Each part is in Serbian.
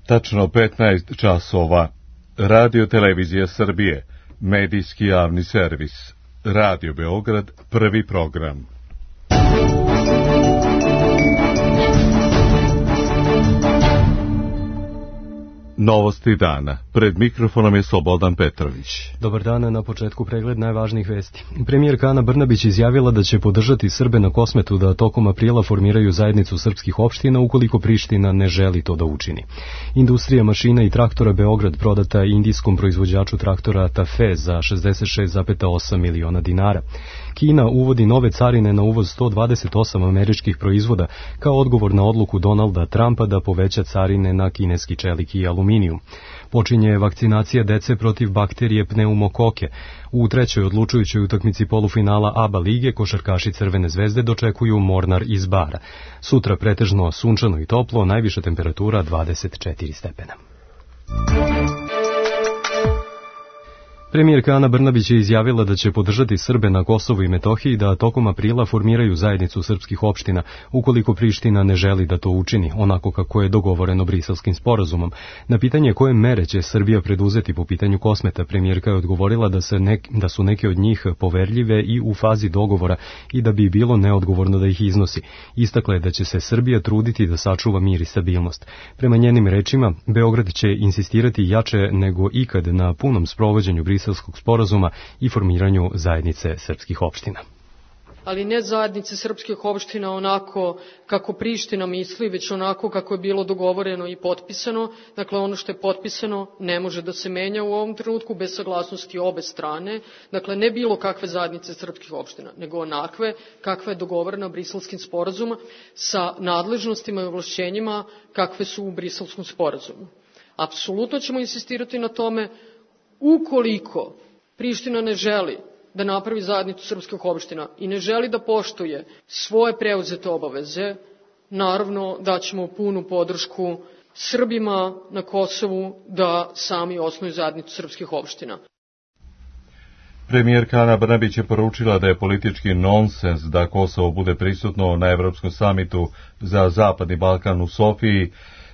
Tačno 15 časova. Radio Televizija Srbije, medijski javni servis. Radio Beograd, prvi program. Novosti dana. Pred mikrofonom je Slobodan Petrović. Dobar dan, na početku pregled najvažnijih vesti. Premijerka Ana Brnabić izjavila da će podržati Srbe na Kosmetu da tokom aprila formiraju zajednicu srpskih opština ukoliko Priština ne želi to da učini. Industrija mašina i traktora Beograd prodata indijskom proizvođaču traktora Tafe za 66,8 miliona dinara. Kina uvodi nove carine na uvoz 128 američkih proizvoda kao odgovor na odluku Donalda Trumpa da poveća carine na kineski čelik i aluminijum. Počinje vakcinacija dece protiv bakterije pneumokoke. U trećoj odlučujućoj utakmici polufinala ABA lige košarkaši Crvene zvezde dočekuju Mornar iz Bara. Sutra pretežno sunčano i toplo, najviša temperatura 24 stepena. Premijerka Ana Brnabić je izjavila da će podržati Srbe na Kosovu i Metohiji da tokom aprila formiraju zajednicu srpskih opština, ukoliko Priština ne želi da to učini, onako kako je dogovoreno Briselskim sporazumom. Na pitanje koje mere će Srbija preduzeti po pitanju Kosmeta, premijerka je odgovorila da su neke od njih poverljive i u fazi dogovora i da bi bilo neodgovorno da ih iznosi. Istakla je da će se Srbija truditi da sačuva mir i stabilnost. Prema njenim rečima, Beograd će insistirati jače nego ikad na punom sprovođenju Briselskog sporazuma i formiranju zajednice srpskih opština. Ali ne zajednice srpskih opština onako kako Priština misli, već onako kako je bilo dogovoreno i potpisano. Dakle, ono što je potpisano ne može da se menja u ovom trenutku bez saglasnosti obe strane. Dakle, ne bilo kakve zajednice srpskih opština, nego onakve kakva je dogovorena Briselskim sporazumom sa nadležnostima i ovlašćenjima kakve su u Briselskom sporazumu. Apsolutno ćemo insistirati na tome. Ukoliko Priština ne želi da napravi zajednicu srpskih opština i ne želi da poštuje svoje preuzete obaveze, naravno daćemo punu podršku Srbima na Kosovu da sami osnuju zajednicu srpskih opština. Premijerka Ana Brnabić je poručila da je politički nonsens da Kosovo bude prisutno na Evropskom samitu za Zapadni Balkan u Sofiji,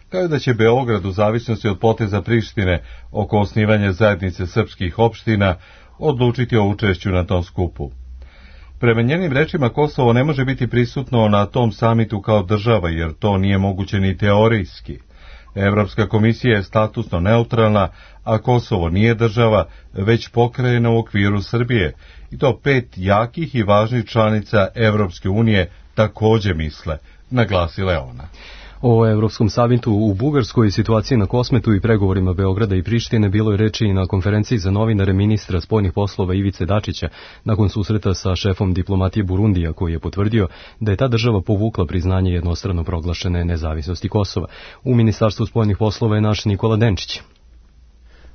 kao da će Beograd u zavisnosti od poteza Prištine oko osnivanja zajednice srpskih opština odlučiti o učešću na tom skupu. Prema njenim rečima, Kosovo ne može biti prisutno na tom samitu kao država, jer to nije moguće ni teorijski. Evropska komisija je statusno neutralna, a Kosovo nije država, već pokrajina u okviru Srbije, i to 5 jakih i važnih članica Evropske unije također misle, naglasila je ona. O Evropskom samitu u Bugarskoj i situaciji na Kosmetu i pregovorima Beograda i Prištine bilo je reči i na konferenciji za novinare ministra spoljnih poslova Ivice Dačića nakon susreta sa šefom diplomatije Burundija, koji je potvrdio da je ta država povukla priznanje jednostrano proglašene nezavisnosti Kosova. U Ministarstvu spoljnih poslova je naš Nikola Denčić.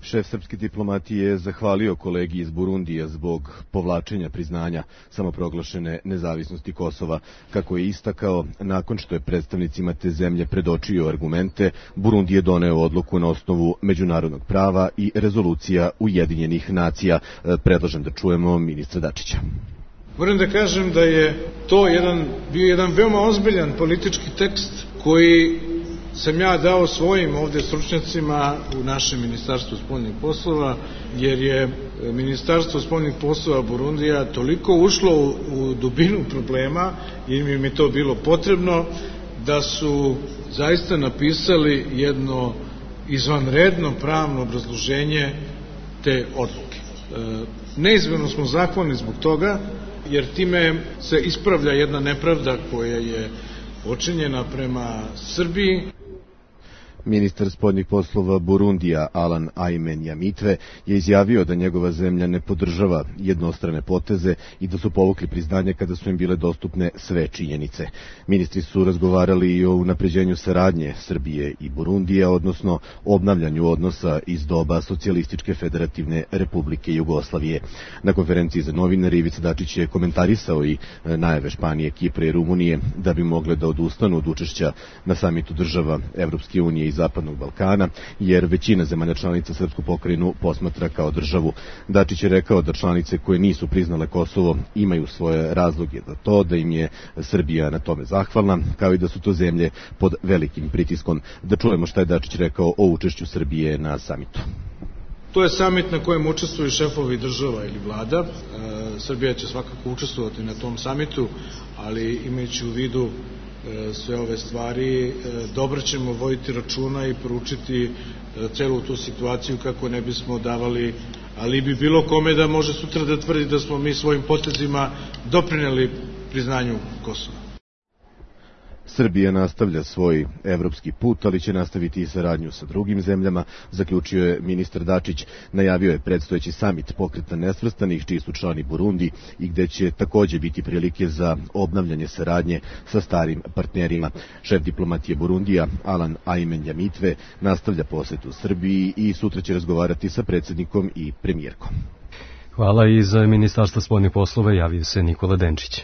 Šef srpske diplomatije je zahvalio kolegi iz Burundija zbog povlačenja priznanja samoproglašene nezavisnosti Kosova. Kako je istakao, nakon što je predstavnicima te zemlje predočio argumente, Burundi je doneo odluku na osnovu međunarodnog prava i rezolucija Ujedinjenih nacija. Predlažem da čujemo ministra Dačića. Moram da kažem da je to bio jedan veoma ozbiljan politički tekst koji sam ja dao svojim ovde stručnjacima u našem Ministarstvu spoljnih poslova, jer je Ministarstvo spoljnih poslova Burundija toliko ušlo u dubinu problema, jer im je to bilo potrebno, da su zaista napisali jedno izvanredno pravno obrazloženje te odluke. Neizmjerno smo zahvalni zbog toga, jer time se ispravlja jedna nepravda koja je počinjena prema Srbiji. Ministar spoljnih poslova Burundija Alan Aymen Yamitwe je izjavio da njegova zemlja ne podržava jednostrane poteze i da su povukli priznanje kada su im bile dostupne sve činjenice. Ministri su razgovarali i o unapređenju saradnje Srbije i Burundija, odnosno obnavljanju odnosa iz doba Socijalističke federativne republike Jugoslavije. Na konferenciji za novinare Ivica Dačić je komentarisao i najave Španije, Kipra i Rumunije da bi mogle da odustanu od učešća na samitu država Evropske unije i Zapadnog Balkana, jer većina zemalja članica srpsku pokrajinu posmatra kao državu. Dačić je rekao da članice koje nisu priznale Kosovo imaju svoje razloge za to, da im je Srbija na tome zahvalna, kao i da su to zemlje pod velikim pritiskom. Da čujemo šta je Dačić rekao o učešću Srbije na samitu. To je samit na kojem učestvuju šefovi država ili vlada. Srbija će svakako učestvovati na tom samitu, ali imajući u vidu sve ove stvari, dobro ćemo voditi računa i poručiti celu tu situaciju kako ne bismo davali alibi bilo kome da može sutra da tvrdi da smo mi svojim potezima doprineli priznanju Kosova. Srbija nastavlja svoj evropski put, ali će nastaviti i saradnju sa drugim zemljama, zaključio je ministar Dačić. Najavio je predstojeći samit Pokreta nesvrstanih, čiji su člani Burundi, i gde će takođe biti prilike za obnavljanje saradnje sa starim partnerima. Šef diplomatije Burundija, Alan Aymen Nyamitwe, nastavlja posetu Srbiji i sutra će razgovarati sa predsjednikom i premijerkom. Hvala. I za Ministarstvo spoljnih poslova javio se Nikola Denčić.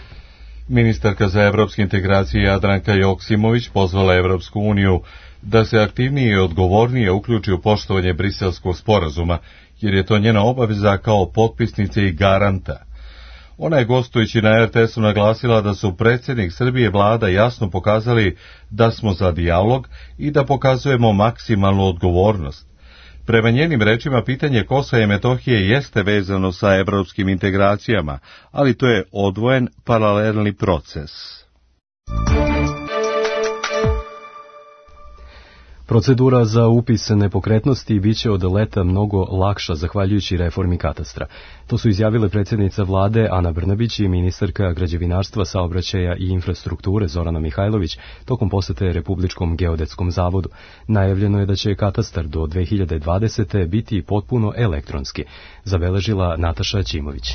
Ministarka za evropske integracije Jadranka Joksimović pozvala Evropsku uniju da se aktivnije i odgovornije uključi u poštovanje Briselskog sporazuma, jer je to njena obaveza kao potpisnice i garanta. Ona je gostujući na RTS-u naglasila da su predsjednik Srbije i vlada jasno pokazali da smo za dijalog i da pokazujemo maksimalnu odgovornost. Prema njenim rečima, pitanje Kosova i Metohije jeste vezano sa evropskim integracijama, ali to je odvojen paralelni proces. Procedura za upis nepokretnosti biće od leta mnogo lakša zahvaljujući reformi katastra. To su izjavile predsjednica vlade Ana Brnabić i ministarka građevinarstva, saobraćaja i infrastrukture Zorana Mihajlović tokom posete Republičkom geodetskom zavodu. Najavljeno je da će katastar do 2020. biti potpuno elektronski, zabeležila Nataša Ćimović.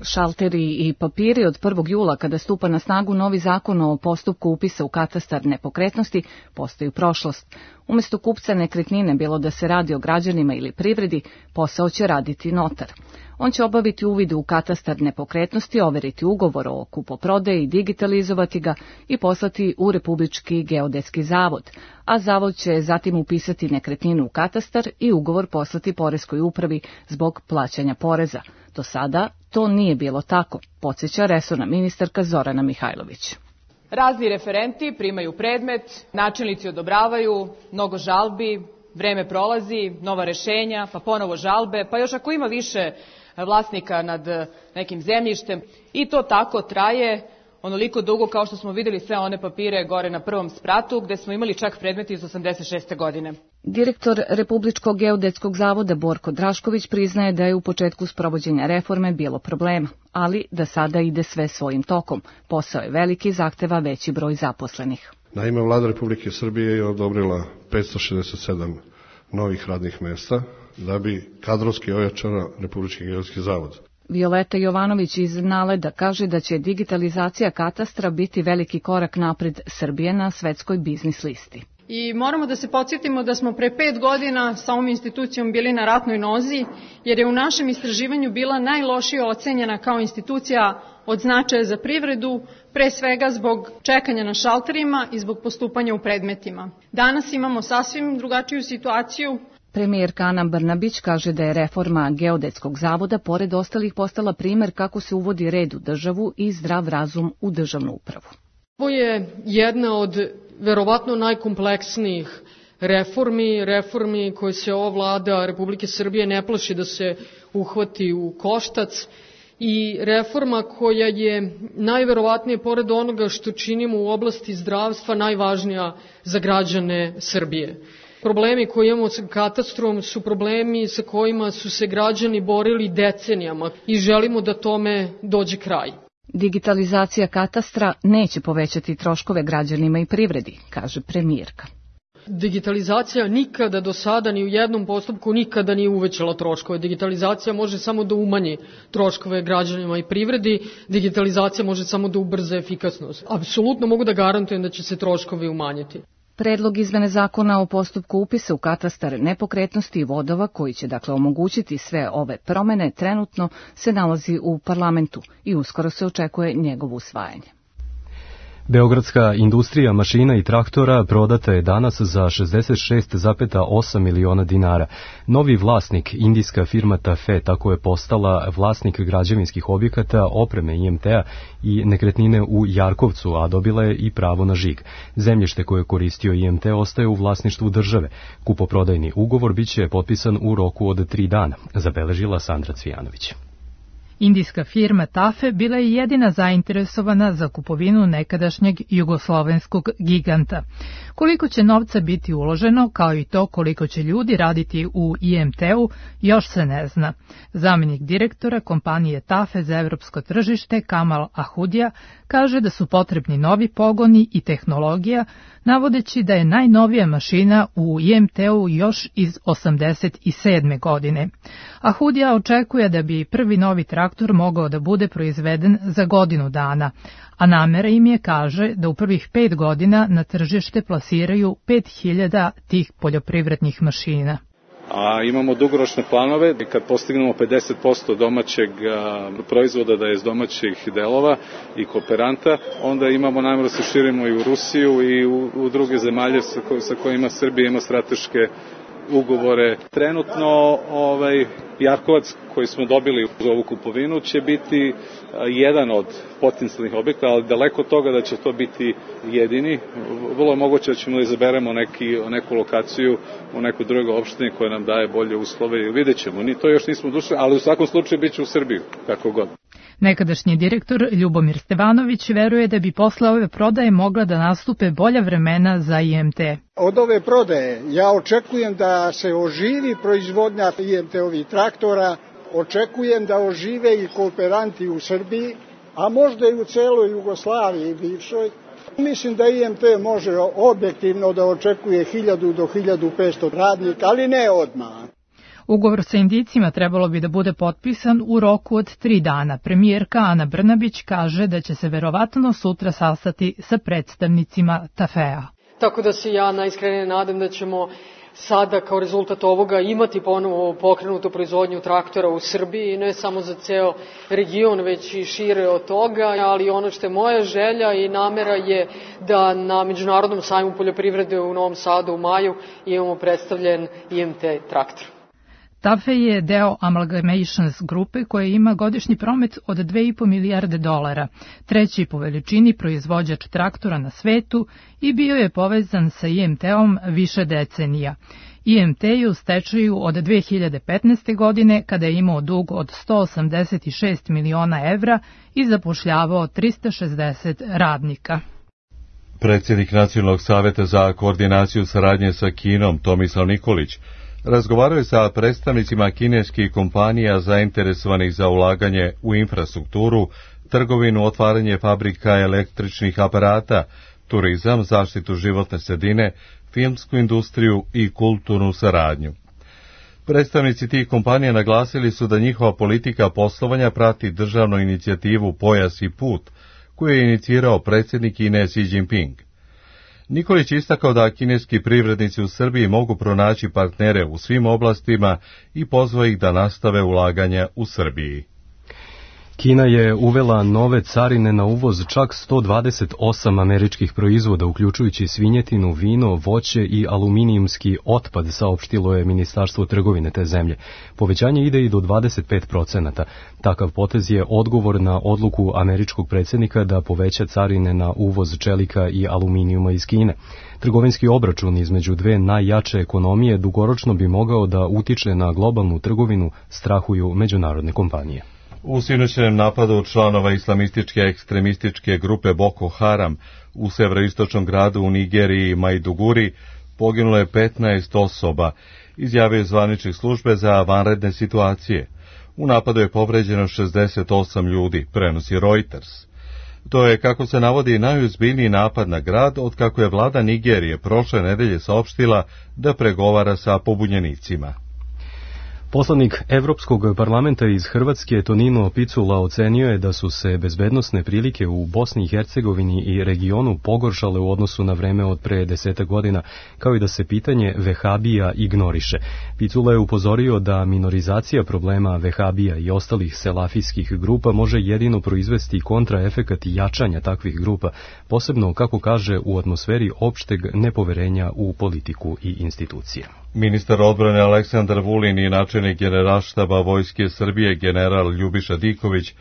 Šalteri i papiri od 1. jula, kada stupa na snagu novi zakon o postupku upisa u katastar nepokretnosti, postaju prošlost. Umjesto kupca nekretnine, bilo da se radi o građanima ili privredi, posao će raditi notar. On će obaviti uvid u katastar nepokretnosti, overiti ugovor o kupoprodaji, digitalizovati ga i poslati u Republički geodetski zavod, a zavod će zatim upisati nekretninu u katastar i ugovor poslati poreskoj upravi zbog plaćanja poreza. Do sada to nije bilo tako, podsjeća resorna ministarka Zorana Mihajlović. Razni referenti primaju predmet, načelnici odobravaju, mnogo žalbi, vreme prolazi, nova rešenja, pa ponovo žalbe, pa još ako ima više vlasnika nad nekim zemljištem, i to tako traje onoliko dugo kao što smo vidjeli sve one papire gore na prvom spratu, gde smo imali čak predmeti iz 86. godine. Direktor Republičkog geodetskog zavoda Borko Drašković priznaje da je u početku sprovođenja reforme bilo problema, ali da sada ide sve svojim tokom. Posao je veliki, zahteva veći broj zaposlenih. Naime, Vlada Republike Srbije je odobrila 567 novih radnih mesta da bi kadrovski ojačala Republički geodetski zavod. Violeta Jovanović iz Naleda kaže da će digitalizacija katastra biti veliki korak napred Srbije na svetskoj biznis listi. I moramo da se podsjetimo da smo pre 5 godina sa ovom institucijom bili na ratnoj nozi, jer je u našem istraživanju bila najlošije ocenjena kao institucija od značaja za privredu, pre svega zbog čekanja na šalterima i zbog postupanja u predmetima. Danas imamo sasvim drugačiju situaciju. Premijerka Ana Brnabić kaže da je reforma geodetskog zavoda pored ostalih postala primer kako se uvodi red u državu i zdrav razum u državnu upravu. Ovo je jedna od verovatno najkompleksnijih reformi koje se ova vlada Republike Srbije ne plaši da se uhvati u koštac, i reforma koja je najverovatnije pored onoga što činimo u oblasti zdravstva najvažnija za građane Srbije. Problemi koje imamo sa katastrom su problemi sa kojima su se građani borili decenijama i želimo da tome dođe kraj. Digitalizacija katastra neće povećati troškove građanima i privredi, kaže premijerka. Digitalizacija nikada do sada ni u jednom postupku nikada nije uvećala troškove. Digitalizacija može samo da umanji troškove građanima i privredi, digitalizacija može samo da ubrza efikasnost. Apsolutno mogu da garantujem da će se troškovi umanjiti. Predlog izmene zakona o postupku upisa u katastar nepokretnosti i vodova, koji će dakle omogućiti sve ove promene, trenutno se nalazi u parlamentu i uskoro se očekuje njegovo usvajanje. Beogradska industrija mašina i traktora prodata je danas za 66,8 miliona dinara. Novi vlasnik, indijska firma TAFE, tako je postala vlasnik građevinskih objekata, opreme IMT-a i nekretnine u Jarkovcu, a dobila je i pravo na žig. Zemljište koje je koristio IMT ostaje u vlasništvu države. Kupoprodajni ugovor biće potpisan u roku od 3 dana, zabeležila Sandra Cvijanović. Indijska firma TAFE bila je jedina zainteresovana za kupovinu nekadašnjeg jugoslovenskog giganta. Koliko će novca biti uloženo, kao i to koliko će ljudi raditi u IMT-u, još se ne zna. Zamjenik direktora kompanije TAFE za evropsko tržište Kamal Ahudija kaže da su potrebni novi pogoni i tehnologija, navodeći da je najnovija mašina u IMT-u još iz 87. godine. Ahudija očekuje da bi prvi novi traktor mogao da bude proizveden za godinu dana, a namera im je, kaže, da u prvih 5 godina na tržište plasiraju 5000 tih poljoprivrednih mašina. A imamo dugoročne planove, kad postignemo 50% domaćeg proizvoda da je iz domaćih delova i kooperanta, onda imamo nameru da se širimo i u Rusiju i u druge zemalje sa kojima Srbija ima strateške ugovore. Trenutno Jarkovac koji smo dobili uz ovu kupovinu će biti jedan od potencijalnih objekta, ali daleko od toga da će to biti jedini. Vrlo je moguće da ćemo da izaberemo neku lokaciju u nekoj drugoj opštini koja nam daje bolje uslove i vidjet ćemo. Ni to još nismo došli, ali u svakom slučaju bit će u Srbiju, kako god. Nekadašnji direktor Ljubomir Stevanović veruje da bi posle ove prodaje mogla da nastupe bolja vremena za IMT. Od ove prodaje ja očekujem da se oživi proizvodnja IMT-ovih traktora, očekujem da ožive i kooperanti u Srbiji, a možda i u celoj Jugoslaviji bivšoj. Mislim da IMT može objektivno da očekuje 1000 do 1500 radnika, ali ne odmah. Ugovor sa Indijcima trebalo bi da bude potpisan u roku od 3 dana. Premijerka Ana Brnabić kaže da će se verovatno sutra sastati sa predstavnicima TAFE-a. Tako da se ja najiskrenije nadam da ćemo sada kao rezultat ovoga imati ponovo pokrenutu proizvodnju traktora u Srbiji, ne samo za ceo region, već i šire od toga, ali ono što je moja želja i namera je da na Međunarodnom sajmu poljoprivrede u Novom Sadu u maju imamo predstavljen IMT traktor. TAFE je deo Amalgamations grupe koja ima godišnji promet od 2,5 milijarde dolara, treći po veličini proizvođač traktora na svetu i bio je povezan sa IMT-om više decenija. IMT je u stečaju od 2015. godine kada je imao dug od 186 miliona evra i zapošljavao 360 radnika. Predsjednik Nacionalnog saveta za koordinaciju saradnje sa Kinom, Tomislav Nikolić, razgovarao je sa predstavnicima kineskih kompanija zainteresovanih za ulaganje u infrastrukturu, trgovinu, otvaranje fabrika električnih aparata, turizam, zaštitu životne sredine, filmsku industriju i kulturnu saradnju. Predstavnici tih kompanija naglasili su da njihova politika poslovanja prati državnu inicijativu Pojas i put, koju je inicirao predsjednik Kine Xi Jinping. Nikolić istakao da kineski privrednici u Srbiji mogu pronaći partnere u svim oblastima i pozvao ih da nastave ulaganja u Srbiji. Kina je uvela nove carine na uvoz čak 128 američkih proizvoda, uključujući svinjetinu, vino, voće i aluminijumski otpad, saopštilo je Ministarstvo trgovine te zemlje. Povećanje ide i do 25%. Takav potez je odgovor na odluku američkog predsjednika da poveća carine na uvoz čelika i aluminijuma iz Kine. Trgovinski obračun između dve najjače ekonomije dugoročno bi mogao da utiče na globalnu trgovinu, strahuju međunarodne kompanije. U sinoćnom napadu članova islamističke ekstremističke grupe Boko Haram u severoistočnom gradu u Nigeriji Maiduguri poginulo je 15 osoba, izjavio zvaničnih službe za vanredne situacije. U napadu je povređeno 68 ljudi, prenosi Reuters. To je, kako se navodi, najozbiljniji napad na grad od kako je vlada Nigerije prošle nedelje saopštila da pregovara sa pobunjenicima. Poslanik Evropskog parlamenta iz Hrvatske Tonino Picula ocenio je da su se bezbednosne prilike u Bosni i Hercegovini i regionu pogoršale u odnosu na vreme od pre 10 godina, kao i da se pitanje vehabija ignoriše. Picula je upozorio da minorizacija problema vehabija i ostalih selafijskih grupa može jedino proizvesti kontraefekat jačanja takvih grupa, posebno, kako kaže, u atmosferi opšteg nepoverenja u politiku i institucije. Ministar odbrane Aleksandar Vulin i načelnik Generalštaba Vojske Srbije general Ljubiša Diković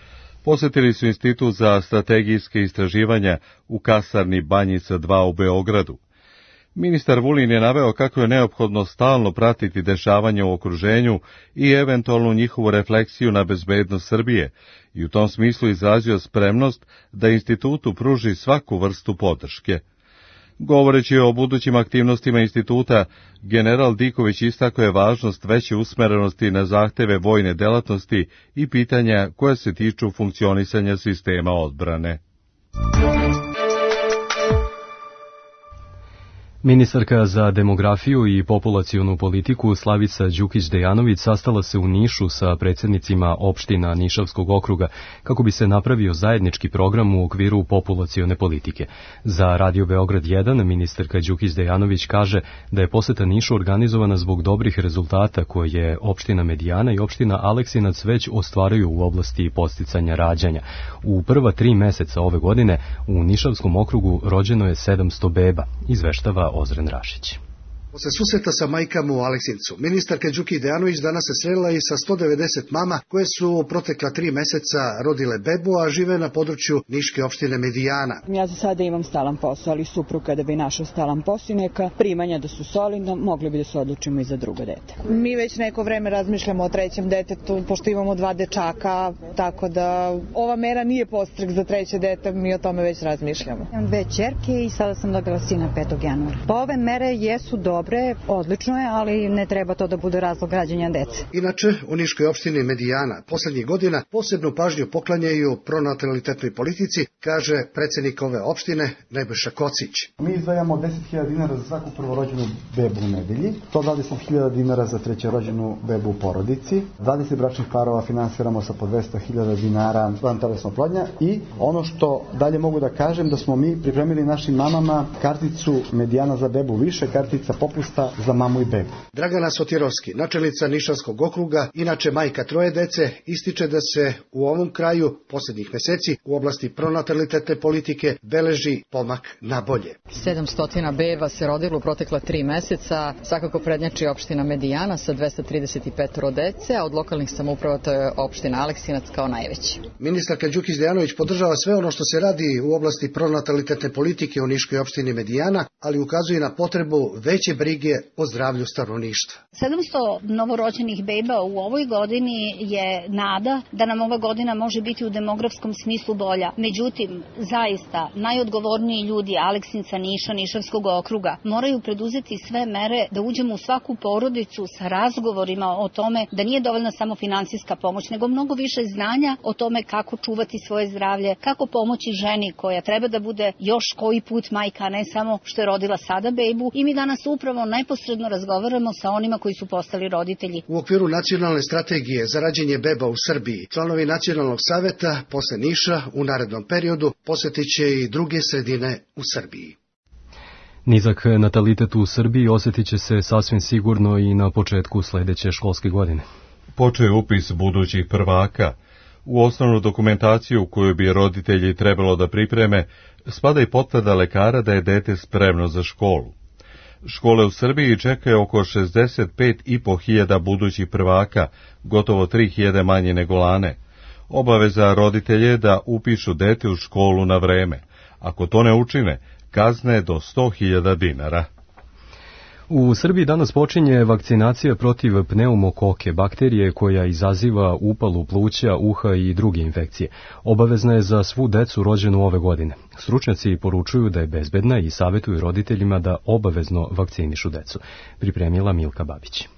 posetili su Institut za strategijske istraživanja u kasarni Banjica 2 u Beogradu. Ministar Vulin je naveo kako je neophodno stalno pratiti dešavanja u okruženju i eventualnu njihovu refleksiju na bezbednost Srbije i u tom smislu izrazio spremnost da institutu pruži svaku vrstu podrške. Govoreći o budućim aktivnostima instituta, general Diković istakao je važnost veće usmerenosti na zahteve vojne delatnosti i pitanja koja se tiču funkcionisanja sistema odbrane. Ministarka za demografiju i populacionu politiku Slavica Đukić-Dejanović sastala se u Nišu sa predsjednicima opština Nišavskog okruga kako bi se napravio zajednički program u okviru populacione politike. Za Radio Beograd 1 ministarka Đukić-Dejanović kaže da je poseta Nišu organizovana zbog dobrih rezultata koje opština Medijana i opština Aleksinac već ostvaraju u oblasti podsticanja rađanja. U prva 3 meseca ove godine u Nišavskom okrugu rođeno je 700 beba, izveštava Ozren Rašić. Posle susreta sa majkama u Aleksincu, ministarka Đukić-Dejanović danas se srela i sa 190 mama koje su u protekla 3 meseca rodile bebu, a žive na području Niške opštine Medijana. Ja za sada imam stalan posao, ali suprug kada bi našao stalan posao, neka primanja da su solidno, mogli bi da se odlučimo i za drugo dete. Mi već neko vreme razmišljamo o trećem detetu, pošto imamo 2 dečaka, tako da ova mera nije podstrek za treće dete, mi o tome već razmišljamo. Imam 2 ćerke i sada sam dobila sina 5. januara. Pa ove mere jesu dobre, odlično je, ali ne treba to da bude razlog rađanja dece. Inače, u Niškoj opštini Medijana poslednjih godina posebnu pažnju poklanjaju pronatalitetnoj politici, kaže predsjednik ove opštine Nebojša Kocić. Mi izdvajamo 10.000 dinara za svaku prvorođenu bebu u nedelji, 120.000 dinara za trećerođenu bebu u porodici, 20 bračnih parova finansiramo sa po 200.000 dinara vantelesna oplodnja i ono što dalje mogu da kažem da smo mi pripremili našim mamama karticu Medijana za bebu više, kartica popusta za mamu i bebu. Dragana Sotirovski, načelnica Nišavskog okruga, inače majka 3 dece, ističe da se u ovom kraju posljednjih meseci u oblasti pronatalitetne politike beleži pomak na bolje. 700 beba se rodilo u protekla 3 meseca, svakako prednjači opština Medijana sa 235 dece, a od lokalnih samouprava to je opština Aleksinac kao najveći. Ministarka Đukić-Dejanović podržava sve ono što se radi u oblasti pronatalitetne politike u Niškoj opštini Medijana, ali ukazuje na potrebu veće brige o zdravlju stanovništva. 700 novorođenih beba u ovoj godini je nada da nam ova godina može biti u demografskom smislu bolja. Međutim, zaista, najodgovorniji ljudi Aleksinca, Niša, Nišavskog okruga moraju preduzeti sve mere da uđemo u svaku porodicu sa razgovorima o tome da nije dovoljna samo finansijska pomoć, nego mnogo više znanja o tome kako čuvati svoje zdravlje, kako pomoći ženi koja treba da bude još koji put majka, a ne samo što je rodila sada bebu. I mi danas upravo neposredno razgovaramo sa onima koji su postali roditelji. U okviru nacionalne strategije za rađenje beba u Srbiji, članovi Nacionalnog saveta posle Niša u narednom periodu posjetit će i druge sredine u Srbiji. Nizak natalitet u Srbiji osjetit će se sasvim sigurno i na početku sledeće školske godine. Počeo je upis budućih prvaka. U osnovnu dokumentaciju koju bi roditelji trebalo da pripreme spada i potvrda lekara da je dete spremno za školu. Škole u Srbiji čekaju oko 65.500 budućih prvaka, gotovo 3.000 manje nego lane. Obaveza roditelje je da upišu dete u školu na vreme. Ako to ne učine, kazne do 100.000 dinara. U Srbiji danas počinje vakcinacija protiv pneumokoke, bakterije koja izaziva upalu pluća, uha i druge infekcije. Obavezna je za svu decu rođenu ove godine. Stručnjaci poručuju da je bezbedna i savjetuju roditeljima da obavezno vakcinišu decu. Pripremila Milka Babić.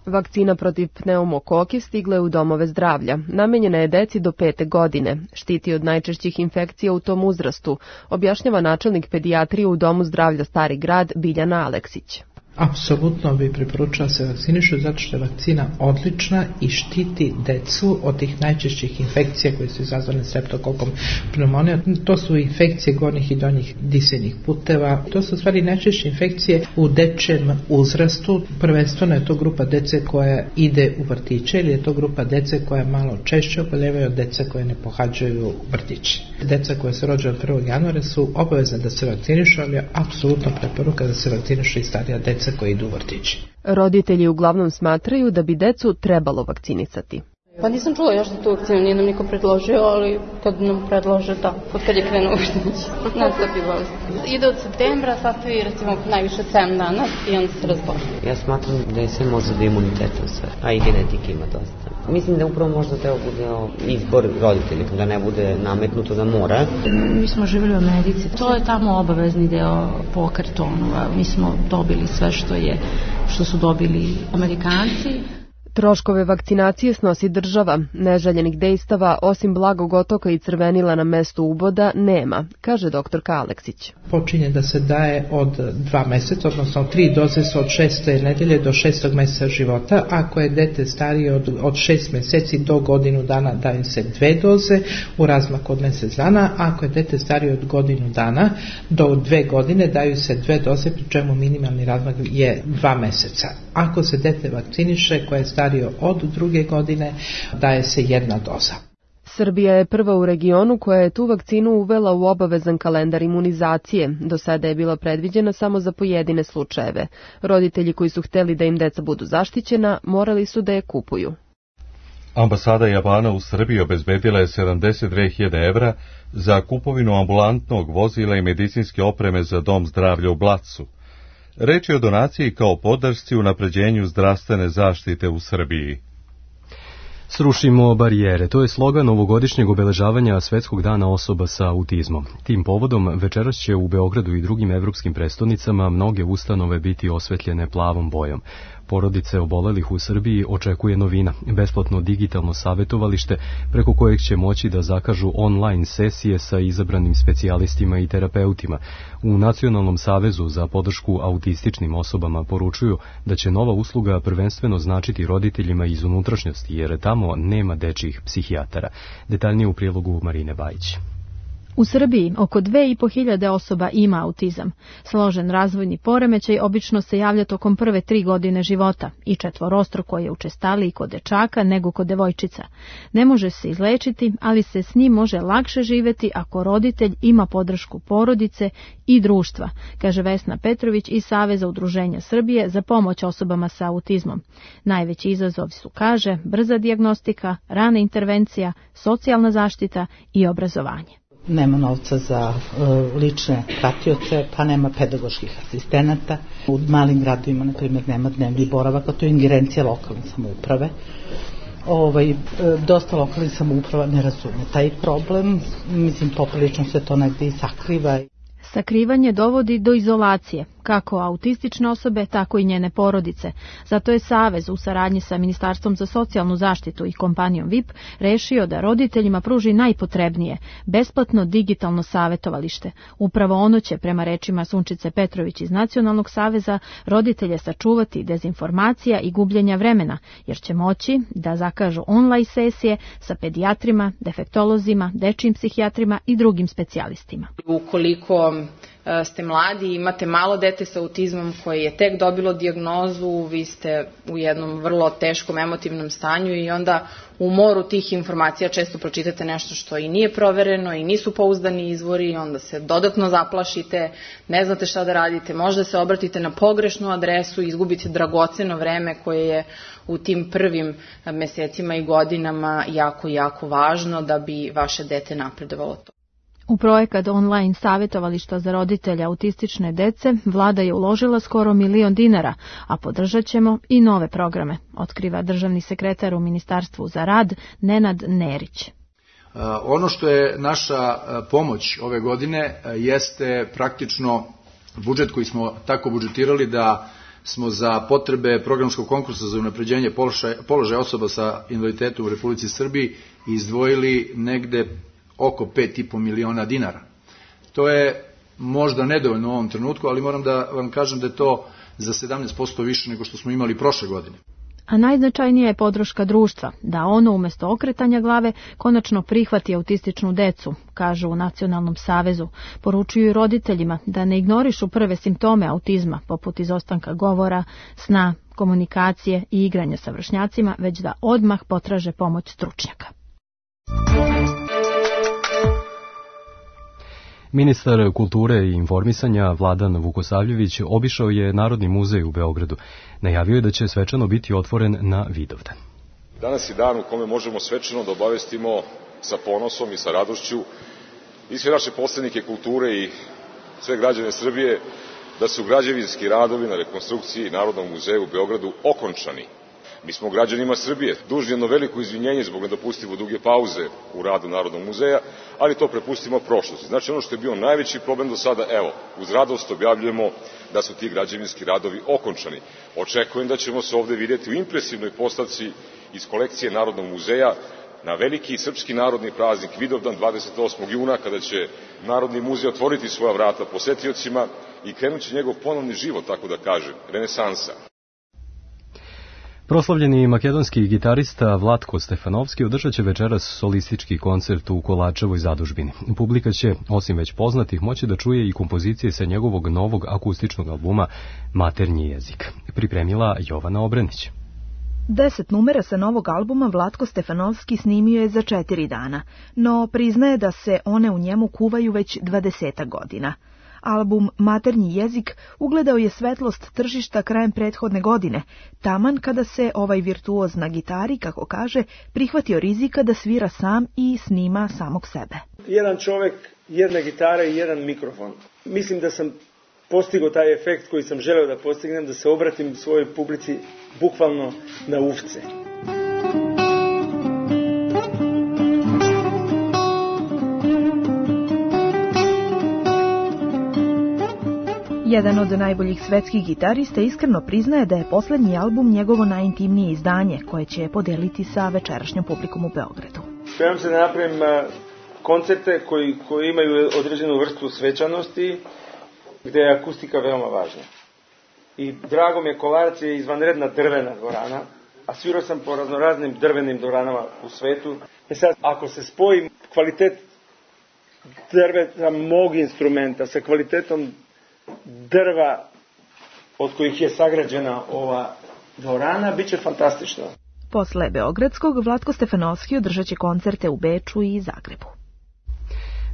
Vakcina protiv pneumokoke stigla je u domove zdravlja. Namenjena je deci do 5. godine. Štiti od najčešćih infekcija u tom uzrastu, objašnjava načelnik pedijatrije u Domu zdravlja Stari grad Biljana Aleksić. Apsolutno bi preporučila se vakcinišu zato što je vakcina odlična i štiti decu od tih najčešćih infekcija koje su izazvane streptokokom pneumonija. To su infekcije gornjih i donjih disajnih puteva. To su u stvari najčešće infekcije u dečjem uzrastu. Prvenstveno je to grupa dece koja ide u vrtiće ili je to grupa dece koja malo češće oboljevaju od deca koje ne pohađaju vrtiće. Deca koja se rođena 1. januara su obavezne da se vakcinišu, ali je apsolutno preporuka da se vakcinišu i starija deca koji idu u vrtići. Roditelji uglavnom smatraju da bi decu trebalo vakcinisati. Pa nisam čula još za tu vakcinu, nije nam niko predložio, ali kad nam predlože, da, od kad je krenuo vrtić, nastavi bolest. Ide od septembra, sastavi recimo najviše 7 dana i onda se razboli. Ja smatram da je sve može da imunitetom sve, a i genetike ima dosta. Mislim da upravo možda treba bude izbor roditelja, da ne bude nametnuto da mora. Mi smo živjeli u Americi, to je tamo obavezni deo po kartonu, mi smo dobili sve što su dobili Amerikanci. Troškove vakcinacije snosi država. Neželjenih dejstava, osim blagog otoka i crvenila na mestu uboda, nema, kaže doktorka Aleksić. Počinje da se daje od 2 meseca, odnosno 3 doze su od 6. nedelje do 6. meseca života. Ako je dete starije od 6 meseci do godinu dana, daju se 2 doze u razmaku od mjesec dana. Ako je dete starije od godinu dana do 2 godine, daju se 2 doze, pri čemu minimalni razmak je 2 meseca. Ako se dete vakciniše koje je starije od 2 godine, daje se 1 doza. Srbija je prva u regionu koja je tu vakcinu uvela u obavezan kalendar imunizacije. Do sada je bila predviđena samo za pojedine slučajeve. Roditelji koji su hteli da im deca budu zaštićena, morali su da je kupuju. Ambasada Japana u Srbiji obezbedila je 72.000 evra za kupovinu ambulantnog vozila i medicinske opreme za dom zdravlja u Blacu. Reč je o donaciji kao podršci unapređenju zdravstvene zaštite u Srbiji. Srušimo barijere, to je slogan ovogodišnjeg obeležavanja Svetskog dana osoba sa autizmom. Tim povodom večeras će u Beogradu i drugim evropskim prestonicama mnoge ustanove biti osvetljene plavom bojom. Porodice obolelih u Srbiji očekuje novina, besplatno digitalno savjetovalište preko kojeg će moći da zakažu online sesije sa izabranim specijalistima i terapeutima. U Nacionalnom savezu za podršku autističnim osobama poručuju da će nova usluga prvenstveno značiti roditeljima iz unutrašnjosti, jer tamo nema dečjih psihijatara. Detaljnije u prilogu Marine Bajić. U Srbiji oko 2.500 osoba ima autizam. Složen razvojni poremećaj obično se javlja tokom prve 3 godine života i četvorostruko je učestaliji kod dečaka nego kod devojčica. Ne može se izlečiti, ali se s njim može lakše živjeti ako roditelj ima podršku porodice i društva, kaže Vesna Petrović iz Saveza udruženja Srbije za pomoć osobama sa autizmom. Najveći izazov su, kaže, brza dijagnostika, rana intervencija, socijalna zaštita i obrazovanje. Nema novca za lične pratioce, pa nema pedagoških asistenata. U malim gradovima, na primjer, nema dnevni boravak, a to je ingerencija lokalne samouprave. Dosta lokalnih samouprava ne razume taj problem, mislim, poprilično se to negdje i sakriva. Sakrivanje dovodi do izolacije, kako autistične osobe, tako i njene porodice. Zato je Savez u saradnji sa Ministarstvom za socijalnu zaštitu i kompanijom VIP rešio da roditeljima pruži najpotrebnije, besplatno digitalno savjetovalište. Upravo ono će, prema rečima Sunčice Petrović iz Nacionalnog saveza, roditelje sačuvati dezinformacija i gubljenja vremena, jer će moći da zakažu online sesije sa pedijatrima, defektolozima, dečijim psihijatrima i drugim specijalistima. Ukoliko ste mladi i imate malo dete sa autizmom koje je tek dobilo dijagnozu, vi ste u jednom vrlo teškom emotivnom stanju i onda u moru tih informacija često pročitate nešto što i nije provereno i nisu pouzdani izvori, onda se dodatno zaplašite, ne znate šta da radite, možda se obratite na pogrešnu adresu i izgubite dragoceno vreme koje je u tim prvim mesecima i godinama jako, jako važno da bi vaše dete napredovalo to. U projekat online savjetovališta za roditelja autistične dece vlada je uložila skoro $1 milion, a podržat ćemo i nove programe, otkriva državni sekretar u Ministarstvu za rad Nenad Nerić. Ono što je naša pomoć ove godine jeste praktično budžet koji smo tako budžetirali da smo za potrebe programskog konkursa za unapređenje položaja osoba sa invaliditetom u Republici Srbiji izdvojili negde oko $5,5 miliona. To je možda nedovoljno u ovom trenutku, ali moram da vam kažem da je to za 17% više nego što smo imali prošle godine. A najznačajnija je podrška društva, da ono umjesto okretanja glave konačno prihvati autističnu decu, kažu u Nacionalnom savezu. Poručuju i roditeljima da ne ignorišu prve simptome autizma, poput izostanka govora, sna, komunikacije i igranja sa vršnjacima, već da odmah potraže pomoć stručnjaka. Ministar kulture i informisanja Vladan Vukosavljević obišao je Narodni muzej u Beogradu. Najavio je da će svečano biti otvoren na Vidovdan. Danas je dan u kome možemo svečano da obavestimo sa ponosom i sa radošću i sve naše poslanike kulture i sve građane Srbije da su građevinski radovi na rekonstrukciji Narodnog muzeja u Beogradu okončani. Mi smo građanima Srbije dužni jedno veliko izvinjenje zbog nedopustivo duge pauze u radu Narodnog muzeja, ali to prepustimo prošlosti. Znači ono što je bio najveći problem do sada, evo, uz radost objavljujemo da su ti građevinski radovi okončani. Očekujem da ćemo se ovde vidjeti u impresivnoj postavci iz kolekcije Narodnog muzeja na veliki srpski narodni praznik Vidovdan 28. juna, kada će Narodni muzej otvoriti svoja vrata posetiocima i krenući njegov ponovni život, tako da kažem, renesansa. Proslavljeni makedonski gitarista Vlatko Stefanovski održat će večeras solistički koncert u Kolačevoj zadužbini. Publika će, osim već poznatih, moći da čuje i kompozicije sa njegovog novog akustičnog albuma Maternji jezik. Pripremila Jovana Obrenić. 10 numera sa novog albuma Vlatko Stefanovski snimio je za 4 dana, no priznaje da se one u njemu kuvaju već 20 godina. Album Maternji jezik ugledao je svetlost tržišta krajem prethodne godine, taman kada se ovaj virtuoz na gitari, kako kaže, prihvatio rizika da svira sam i snima samog sebe. Jedan čovjek, jedna gitara i jedan mikrofon. Mislim da sam postigao taj efekt koji sam želeo da postignem, da se obratim svojoj publici bukvalno na ufce. Jedan od najboljih svetskih gitarista iskreno priznaje da je posljednji album njegovo najintimnije izdanje, koje će podeliti sa večerašnjom publikom u Beogradu. Spremam se da napravim koncerte koji imaju određenu vrstu svečanosti, gde je akustika veoma važna. I drago mi je, Kolarac je izvanredna drvena dvorana, a svirao sam po raznoraznim drvenim dvoranama u svetu. Sad, ako se spoji kvalitet drveta mog instrumenta sa kvalitetom drva od kojih je sagrađena ova dvorana, bit će fantastično. Posle beogradskog, Vlatko Stefanovski održat će koncerte u Beču i Zagrebu.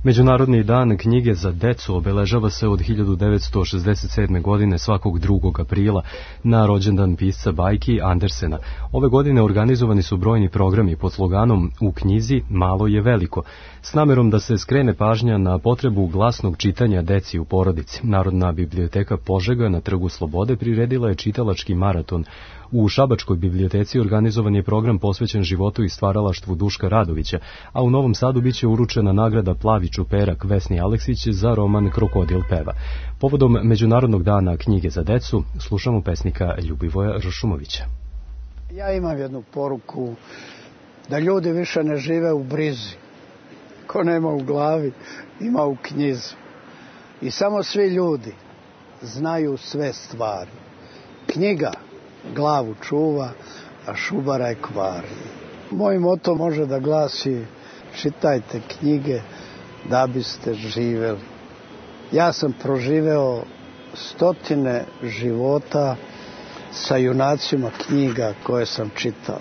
Međunarodni dan knjige za decu obeležava se od 1967. godine svakog 2. aprila na rođendan pisca bajki Andersena. Ove godine organizovani su brojni programi pod sloganom U knjizi malo je veliko, s namerom da se skrene pažnja na potrebu glasnog čitanja deci u porodici. Narodna biblioteka Požega na Trgu Slobode priredila je čitalački maraton. U Šabačkoj biblioteci organizovan je program posvećen životu i stvaralaštvu Duška Radovića, a u Novom Sadu biće uručena nagrada Plavi čuperak Vesni Aleksić za roman Krokodil peva. Povodom Međunarodnog dana knjige za decu slušamo pesnika Ljubivoja Ršumovića. Ja imam jednu poruku, da ljudi više ne žive u brizi. Ko nema u glavi, ima u knjizi. I samo svi ljudi znaju sve stvari. Knjiga glavu čuva, a šubara je kvari. Moj moto može da glasi: čitajte knjige da biste živjeli. Ja sam proživeo 100 života sa junacima knjiga koje sam čitao.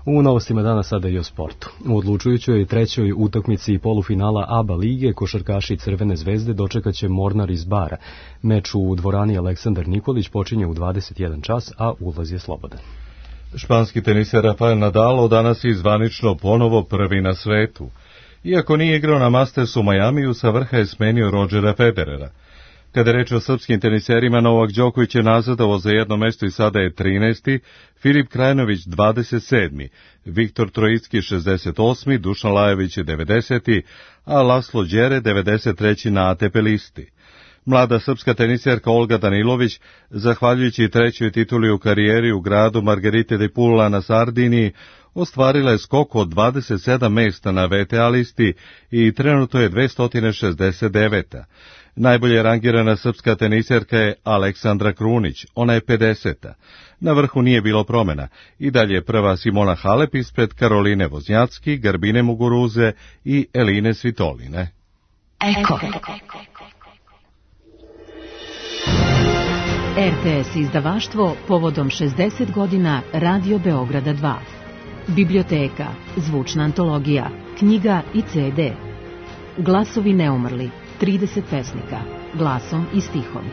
U novostima dana sada i o sportu. U odlučujućoj trećoj utakmici polufinala ABA lige košarkaši Crvene zvezde dočekaće Mornar iz Bara. Meč u dvorani Aleksandar Nikolić počinje u 21 čas, a ulaz je slobodan. Španski teniser Rafael Nadal danas je zvanično ponovo prvi na svetu. Iako nije igrao na Mastersu u Majamiju, sa vrha je smenio Rodgera Federera. Kada je reč o srpskim teniserima, Novak Đoković je nazadovao za jedno mesto i sada je 13. Filip Krajinović 27. Viktor Trojicki 68. Dušan Lajović je 90. a Laslo Đere 93. na ATP listi. Mlada srpska teniserka Olga Danilović, zahvaljujući trećoj tituli u karijeri u gradu Margherite de Pulla na Sardiniji, ostvarila je skok od 27 mesta na VTA listi i trenutno je 269. Najbolje rangirana srpska teniserka je Aleksandra Krunić, ona je 50. Na vrhu nije bilo promjena, i dalje je prva Simona Halep ispred Karoline Voznjacki, Garbine Muguruze i Eline Svitoline. Eko. RTS izdavaštvo povodom 60 godina Radio Beograda 2. Biblioteka, zvučna antologija, knjiga i CD. Glasovi neumrli, 30 pesnika, glasom i stihom.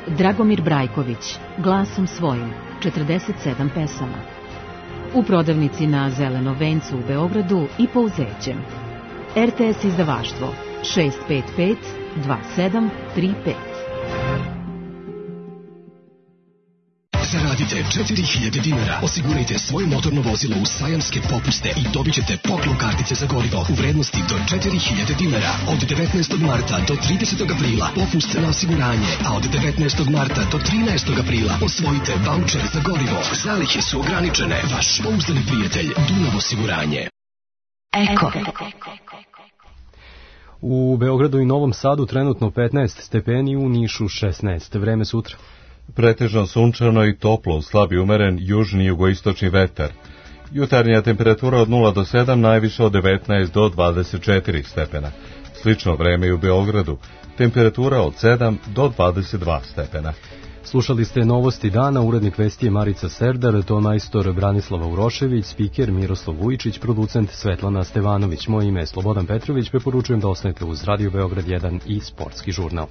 Dragomir Brajković, glasom svojim, 47 pesama. U prodavnici na Zelenom vencu u Beogradu i po Uzećem. RTS izdavaštvo 655 2735. Zaradite 4000 dinara, osigurajte svoje motorno vozilo u sajamske popuste i dobit ćete poklon kartice za gorivo u vrednosti do 4000 dinara. Od 19. marta do 30. aprila popust na osiguranje, a od 19. marta do 13. aprila osvojite vaučer za gorivo. Zalihe su ograničene. Vaš pouzdani prijatelj Dunav osiguranje. Eko. U Beogradu i Novom Sadu trenutno 15 stepeni, u Nišu 16. Vreme sutra. Pretežno sunčano i toplo, slabi umeren južni i jugoistočni vetar. Jutarnja temperatura od 0 do 7, najviše od 19 do 24 stepena. Slično vreme i u Beogradu, temperatura od 7 do 22 stepena. Slušali ste novosti dana, urednik vesti je Marica Serdar, tonmajstor Branislava Urošević, spiker Miroslav Vujičić, producent Svetlana Stevanović. Moje ime je Slobodan Petrović, preporučujem da ostanete uz Radio Beograd 1 i Sportski žurnal.